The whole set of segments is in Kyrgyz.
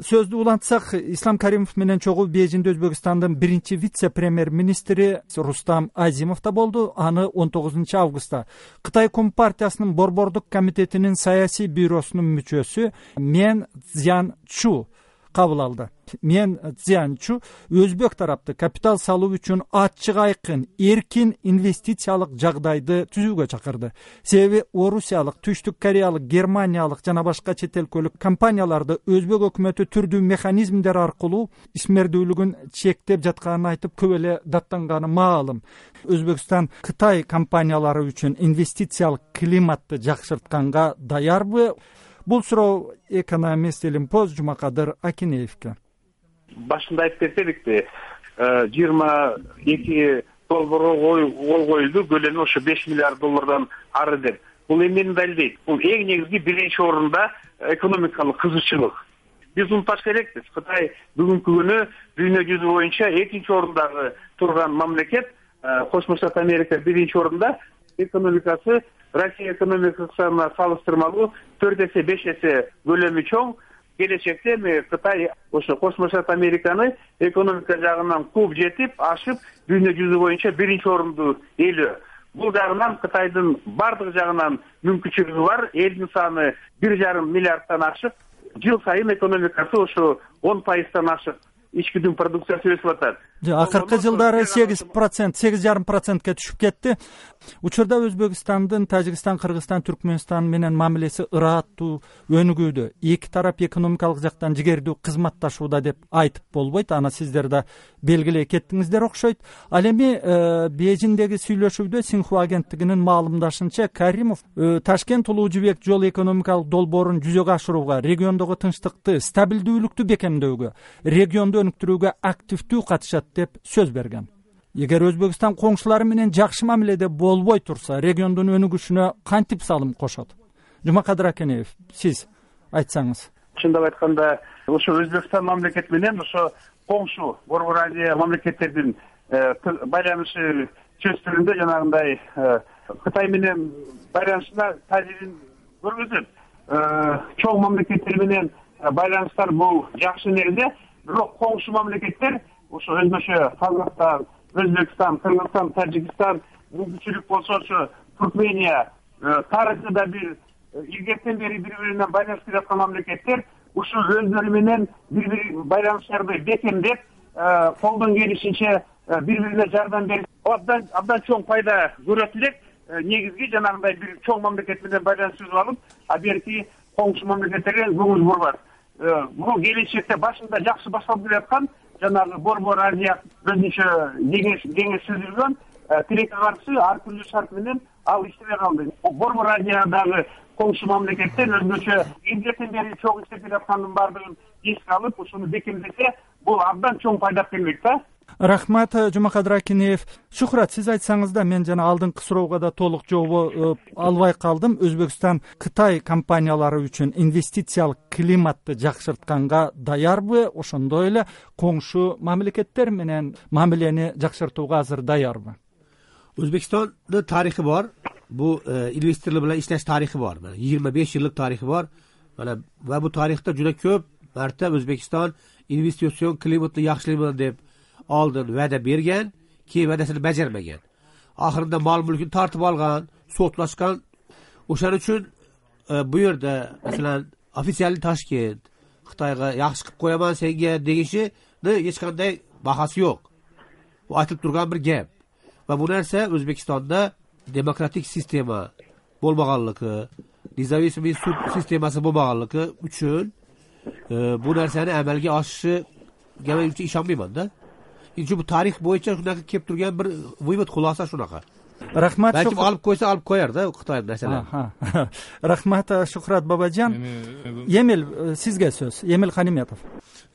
сөздү улантсак, Ислам Каримов менен чогуу Бейжиңде Өзбекстандын биринчи вице-премьер-министри Рустам Азимов да болду. Аны 19 августта Кытай Компартиясынын борбордук комитетинин саясий бюросунун мүчөсү Мен Цзянчу кабыл алды. Мен Цзянчу өзбек тарапты капитал салуу үчүн ачык айкын, эркин инвестициялык жагдайды түзүүгө чакырды. Себеби Орусиялык, Түштүк Кореялык, Германиялык жана башка чет өлкөлүк компанияларды өзбек өкмөтү түрдүү механизмдер аркылуу исмердүүлүгүн чектеп жатканын айтып, көп эле даттанганы маалым. Өзбекстан Кытай компаниялары үчүн инвестициялык климатты жакшыртканга даярбы? Бул суроо экономист Элимпоз Жумакадыр Акинеевке. Башында айтып кетеликти, 22 долбоорго кол коюлду, көлөмү ошо 5 миллиард доллардан ары деп. Бул эмнени далилдейт? Бул эң негизги биринчи орунда экономикалык кызыкчылык. Биз унутпаш керекпиз. Кытай бүгүнкү күнү дүйнө жүзү боюнча экинчи орундагы турган мамлекет, Кошмо Штат Америка биринчи орунда. Экономикасы Россия экономикасына салыштырмалуу 4 эсе 5 эсе көлөмү чоң. Келечекте Кытай ошо Кошмо Штат Американы экономика жагынан кууп жетип, ашып, дүйнө жүзү боюнча биринчи орунду ээлөө. Бул жагынан Кытайдын бардык жагынан мүмкүнчүлүгү бар. Элдин саны 1,5 миллиардтан ашып, жыл сайын экономикасы ошо 10%тан ашып, ички дүң продукциясы өсүп атат. Акыркы жылдары 8%, 8,5%ке түшүп кетти. Учурда Өзбекстандын Тажикстан, Кыргызстан, Түркмөнстан менен мамилеси ыраттуу өнүгүүдө. Эки тарап экономикалык жактан жигердүү кызматташууда деп айтып болбойт. Аны сиздер да белгилей кеттиңиздер окшойт. Ал эми Бейжиңдеги сүйлөшүүдө Синхуа агенттигинин маалымдашынча, Каримов Ташкент Улуу Жибек жол экономикалык долбоорун жүзөгө ашырууга, региондогу тынчтыкты, стабилдүүлүктү бекемдөөгө, регионду өнүктүрүүгө активдүү катышат деп сөз берген. Эгер Өзбекстан коңшулары менен жакшы мамиледе болбой турса, региондун өнүгүшүнө кантип салым кошот? Жумакадыр Акинеев, сиз айтсаңыз. Чындап айтканда, ошо Өзбекстан мамлекети менен ошо коңшу Борбор Азия мамлекеттердин байланышы чөстүрүндө жанагындай Кытай менен байланышына таасирин көргөзөт. Чоң мамлекеттер менен байланыштар бул жакшы нерсе, бирок коңшу мамлекеттер ошо өзбөчө Казакстан, Өзбекстан, Кыргызстан, Тажикстан, мүмкүнчүлүк болсо ошо Туркмения тарыхында бир илгертен бери бири-биринен байланышып жаткан мамлекеттер ушул өздөрү менен бири-бири байланыштарды бекемдеп, колдон келишинче бири-бирине жардам берип, абдан чоң пайда көрөт элек. Негизги жанагындай бир чоң мамлекет менен байланыш түзүп алып, берки коңшу мамлекеттерге көңүл бурбат. Бул келечекте башында жакшы башталып келаткан жанагы Борбор Азия өзүнчө кеңеш түзүлгөн, тилекке каршы ар түрдүү шарт менен ал иштебей калды. Борбор Азиядагы коңшу мамлекеттер өзгөчө илгертен бери чоң иштеп келаткандын баардыгын эске алып, ушуну бекемдесе, бул абдан чоң пайда келмек да. Рахмат, Жумакадыр Акинеев. Шухрат, сиз айтсаңыз да, мен жана алдыңкы суроого да толук жооп албай калдым. Өзбекстан Кытай компаниялары үчүн инвестициялык климатты жакшыртканга даярбы? Ошондой эле коңшу мамлекеттер менен мамилени жакшыртууга азыр даярбы? Өзбекстандын тарыхы бар. Бул инвесторлор менен иштеш тарыхы бар. 25 жылдык тарыхы бар. Ва бул тарыхта жуна көп марта Өзбекстан инвестицион климатты жакшыртайм деп алдын вәдә берген, кийин вәдәсин бәҗәрмәгән. Ахырында мал мүлкүн тартып алган, сотлашкан. Ошон үчүн бу жерде, мәсәлән, официаль Ташкент Кытайга яхшы кылып кояман сенге дегенче эч кандай бахасы жок. Бу айтылып турган бир геп. Ва бу нерсе Өзбекстанда демократик система болмаганлыгы, независимый суд системасы болмаганлыгы үчүн бу нерсени әмәлгә ашышы гәмәл үчүн ишанмыйман да. Çünkü bu tarih boyunca şunaqa kep turgan bir vıyvat xulasa şunaqa. Rahmat. Belki alıp koysa alıp koyar da Xitoy mesela. Rahmat Şuhrat Babacan. Emil sizge söz. Emil Xanimetov.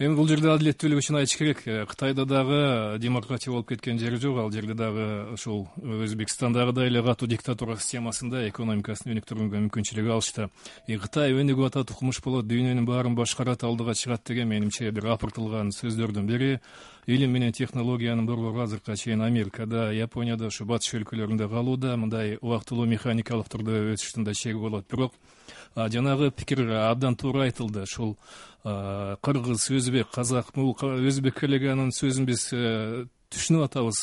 Эми бул жерде адилеттүүлүк үчүн айтыш керек. Кытайда дагы демократия болуп кеткен жери жок. Ал жерде дагы ошол Өзбекстандагыдай эле катуу диктатура системасында экономикасын өнүктүрүүгө мүмкүнчүлүк алышты. Кытай өнүгүп атат, укмуш болот, дүйнөнүн баарын башкарат, алдыга чыгат деген менимче бир апыртылган сөздөрдүн бири. Илим менен технологиянын борбору азыркыга чейин Америкада, Японияда, ошо батыш өлкөлөрүндө калууда, мындай убактылуу механикалык түрдө өсүштүн да чеги болот. Бирок жанагы пикир абдан туура айтылды. Ушул кыргыз, өзбек, казак, бул өзбек коллеганын сөзүн биз түшүнүп атабыз.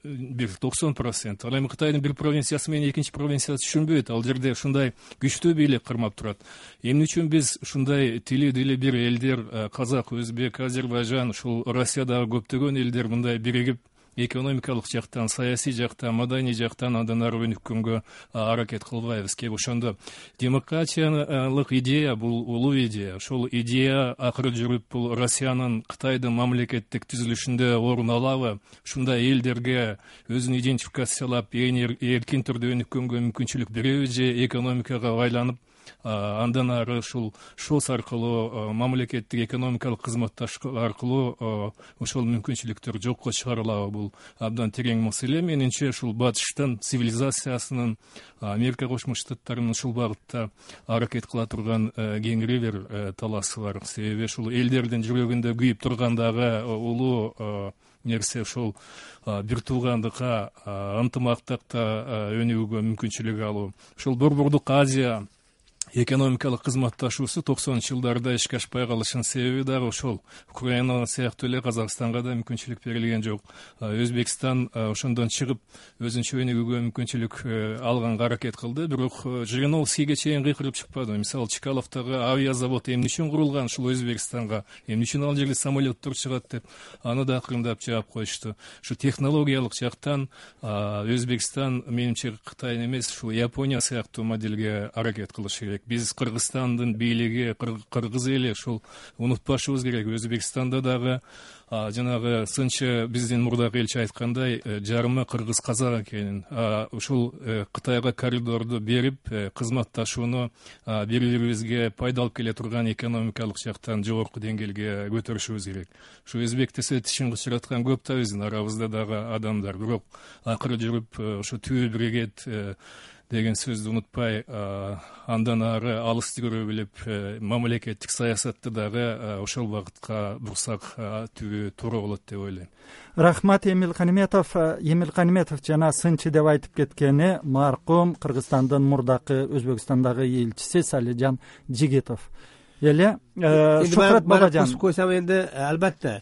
Бир 90%. Ал эми Кытайдын бир провинциясы менен экинчи провинциясы түшүнбөйт. Ал жерде ушундай күчтүү бийлик кармап турат. Эмне үчүн биз ушундай тили бир элдер, казак, өзбек, Азербайжан, ушул Россиядагы көптөгөн элдер мындай биригип экономикалык жактан, саясий жактан, маданий жактан андан ары өнүккөнгө аракет кылбайбыз? Кеп ошондо демократиялык идея бул улуу идея. Ошол идея акыры жүрүп бул Россиянын Кытайдын мамлекеттик түзүлүшүндө орун алабы? Ушундай элдерге өзүн идентификациялап, эркин түрдө өнүккөнгө мүмкүнчүлүк береби же экономикага байланып андан ары ушул ШОС аркылуу мамлекеттик экономикалык кызматташтык аркылуу ошол мүмкүнчүлүктөр жокко чыгарылабы? Бул абдан терең маселе. Менимче ушул батыштын цивилизациясынын, Америка Кошмо Штаттарынын ушул багытта аракет кыла турган кеңири бир таласы бар. Себеби ушул элдердин жүрөгүндө күйүп турган дагы улуу нерсе ошол бир туугандыкка, ынтымактыкта өнүгүүгө мүмкүнчүлүк алуу. Ошол Борбордук Азия экономикалык кызматташуусу 90-жылдарда ишке ашпай калышынын себеби дагы ошол. Украина сыяктуу эле Казакстанга да мүмкүнчүлүк берилген жок. Өзбекстан ошондон чыгып өзүнчө өнүгүүгө мүмкүнчүлүк алганга аракет кылды, бирок Жириновскийге чейин кыйкырып чыкпады. Мисалы, Чкаловдогу авиазавод эмне үчүн курулган ушул Өзбекстанга, эмне үчүн ал жерде самолеттор чыгат деп аны да акырындап жаап коюшту. Ушу технологиялык жактан Өзбекстан менимче Кытайдын эмес, ушул Япония сыяктуу модельге аракет кылыш керек. Биз Кыргызстандын бийлиги, кыргыз эли ушул унутпашыбыз керек. Өзбекстанда дагы жанагы сынчы биздин мурдагы элчи айткандай жарымы кыргыз казак экенин, ушул Кытайга коридорду берип кызматташууну бири бирибизге пайда алып келе турган экономикалык жактан жогорку деңгээлге көтөрүшүбүз керек. Ушу өзбек десе тишин кычыраткан көп да биздин арабызда дагы адамдар, бирок акыры жүрүп ушу түбү биригет деген сөздү унутпай, андан ары алысты көрө билип, мамлекеттик саясатты дагы ошол багытка бурсак түбү туура болот деп ойлойм. Рахмат, Эмил Каниметов. Эмил Каниметов жана сынчы деп айтып кеткени маркум Кыргызстандын мурдакы Өзбекстандагы элчиси Салижан Жигитов. Эле Шухрат Бабажан койсам энди албетте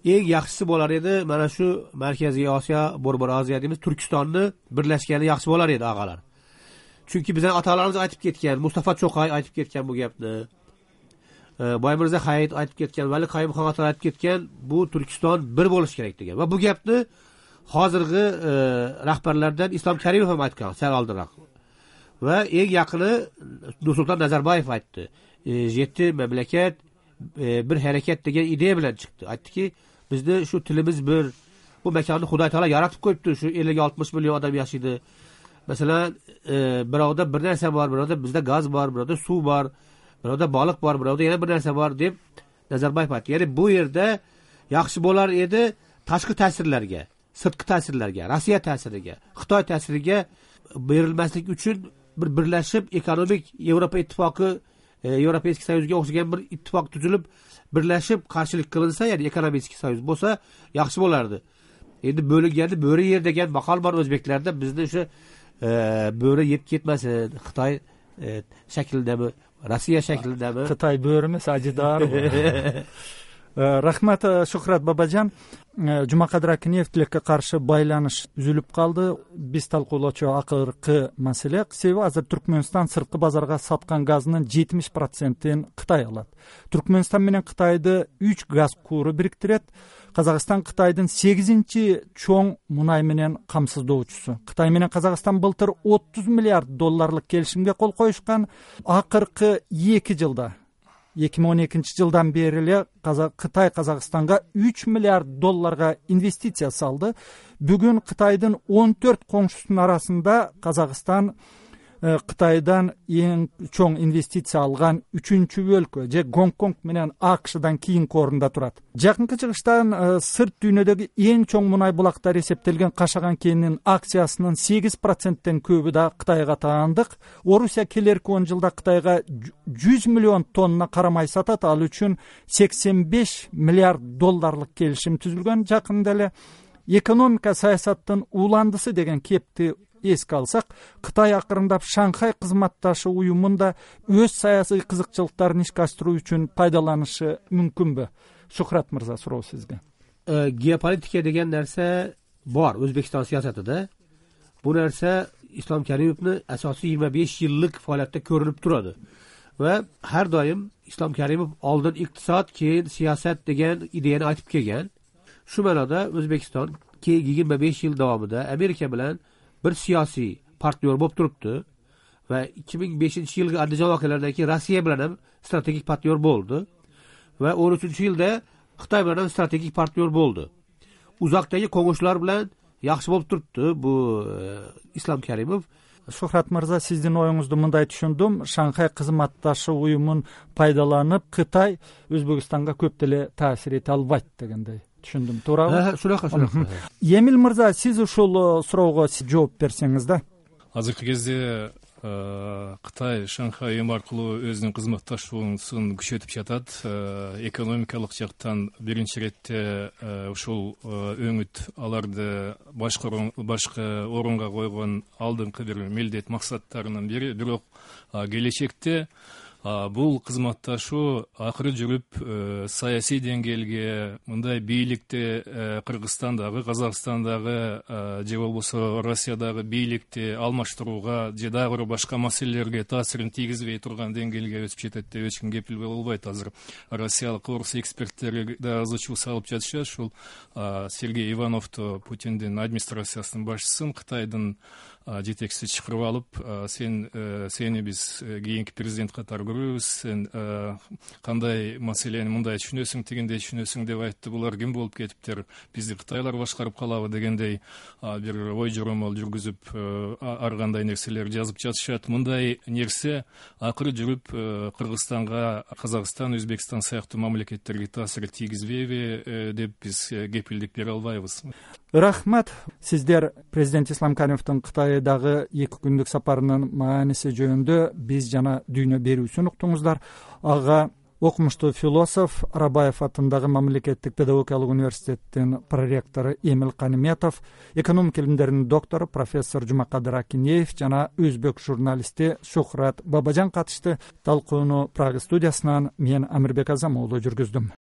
эң жакшысы болар эди, мана ушу Марказий Осиё, Борбор Азия дейбиз, Түркистонду бирлешкени жакшы болар эди агалар. Чүнки биздин аталарыбыз айтып кеткен, Мустафа Чокай айтып кеткен бу гепни, Баймырза Хайит айтып кеткен, Вали Кайымхан аталар айтып кеткен, бу Түркистон бир болуш керек деген. Ва бу гепни азыркы рахбарлардан Ислам Каримов ham айткан, сәл алдыраак. Ва эң якыны Нурсултан Назарбаев айтты. 7 мамлекет bir hareket деген идея bilen çıktı. Aytdı ki bizde şu tilimiz bir, bu mekanı Huday Taala yaratıp koyuptu. Şu 50-60 milyon adam yaşaydı. Mesela birovda bir narsa var, birovda bizde gaz var, birovda su var, birovda balık var, birovda yana bir narsa var deb Nazarbayev aytdı. Yani bu yerde yaxşı bolar edi tashqi ta'sirlarga, sirtqi ta'sirlarga, Rossiya ta'siriga, Xitoy ta'siriga berilmaslik uchun bir birlashib ekonomik Yevropa ittifoqi, Европейский Союзга o'xshagan bir ittifoq tuzilib, birlashib qarshilik qilinsa, ya'ni Ekonomik Soyuz bo'lsa, yaxshi bo'lardi. Endi bo'liganda bo'ri yer degan maqol bor o'zbeklarda, bizni o'sha bo'ri yeb ketmasin, Xitoy shaklidami, Rossiya shaklidami? Xitoy bo'ri emas, ajidor. Рахмат, Шухрат Бабажан. Жумакадыр Акиневтилекке каршы байланыш үзүлүп калды. Биз талкуулоочу акыркы маселе, себеби азыр Түркмөнстан сырткы базарга саткан газынын 70%-ин Кытай алат. Түркмөнстан менен Кытайды 3 газ куру бириктирет. Казакстан Кытайдын 8-чи чоң мунай менен камсыздоочусу. Кытай менен Казакстан былтыр $30 миллиард келишимге кол коюшкан. Акыркы 2 жылда 2012 жылдан бери эле Кытай Казакстанга $3 миллиард инвестиция салды. Бүгүн Кытайдын 14 коңшусунун арасында Казакстан Кытайдан эң чоң инвестиция алган 3-чү өлкө, же Гонконг менен АКШдан кийинки орунда турат. Жакынкы чыгыштан сырт дүйнөдөгү эң чоң мунай булактары эсептелген Кашаган кенинин акциясынын 8%тен көбү да Кытайга таандык. Орусия келерки 10 жылда Кытайга 100 миллион тонна карамай сатат, ал үчүн $85 миллиард келишим түзүлгөн. Жакында эле экономика саясаттын уландысы деген кепти эске алсак, Кытай акырындап Шанхай кызматташы уюмунда өз саясий кызыкчылыктарын ишке ашыруу үчүн пайдаланышы мүмкүнбү? Шухрат мырза, суроо сизге. Geopolitika деген нерсе бар Өзбекстан саясатында. Bu narsa Islom Karimovni asosiy 25 yillik faoliyatda ko'rinib turadi. Va har doim Islom Karimov oldin iqtisod, keyin siyosat degan ideyani aytib kelgan. Shu ma'noda O'zbekiston keyingi 25 yil davomida Amerika bilan bir siyosiy partnyor bo'lib turibdi va 2005-yilgi Andijon voqealaridan keyin Rossiya bilan ham strategik partnyor bo'ldi va 13-yilda Xitoy bilan ham strategik partnyor bo'ldi. Uzoqdagi qo'ng'ishlar bilan yaxshi bo'lib turibdi bu Islom Karimov. Шухрат мырза, сиздин оюңузду мындай түшүндүм. Шанхай кызматташы уюмун пайдаланып, Кытай Өзбекстанга көп деле таасир эте албайт дегендей түшүндүм. Туурабы? Шунака. Эмил мырза, сиз ушул суроого жооп берсеңиз да. Азыркы кезде Кытай Шанхай уюму аркылуу өзүнүн кызматташуусун күчөтүп жатат. Экономикалык жактан биринчи иретте ушул өңүт аларды башка орунга койгон алдыңкы бир милдет максаттарынын бири. Бирок келечекте бул кызматташуу акыры жүрүп саясий деңгээлге, мындай бийликти Кыргызстандагы, Казакстандагы же болбосо Россиядагы бийликти алмаштырууга же дагы бир башка маселелерге таасирин тийгизбей турган деңгээлге өтүп жетет деп эч ким кепил болбойт. Азыр россиялык орус эксперттери да ызы чуу салып жатышат. Ушул Сергей Ивановду, Путиндин администрациясынын башчысын Кытайдын жетекчиси чакырып алып, сени биз кийинки президент катары көрөбүз, сен кандай маселени мындай түшүнөсүң, тигиндей түшүнөсүң деп айтты. Булар ким болуп кетиптир, бизди кытайлар башкарып калабы дегендей бир ой жоромол жүргүзүп ар кандай нерселер жазып жатышат. Мындай нерсе акыры жүрүп Кыргызстанга, Казакстан, Өзбекстан сыяктуу мамлекеттерге таасир тийгизбейби деп биз кепилдик бере албайбыз. Рахмат. Сиздер президент Ислам Каримовдун Кытайдагы 2 күндүк сапарынын мааниси жөнүндө биз жана дүйнө берүүсүн уктуңуздар. Ага окумуштуу философ, Арабаев атындагы мамлекеттик педагогикалык университеттин проректору Эмил Каниметов, экономика илимдеринин доктору профессор Жумакадыр Акинеев жана өзбек журналисти Шухрат Бабажан катышты. Талкууну Прага студиясынан мен Амирбек Азамоğlu жүргүздүм.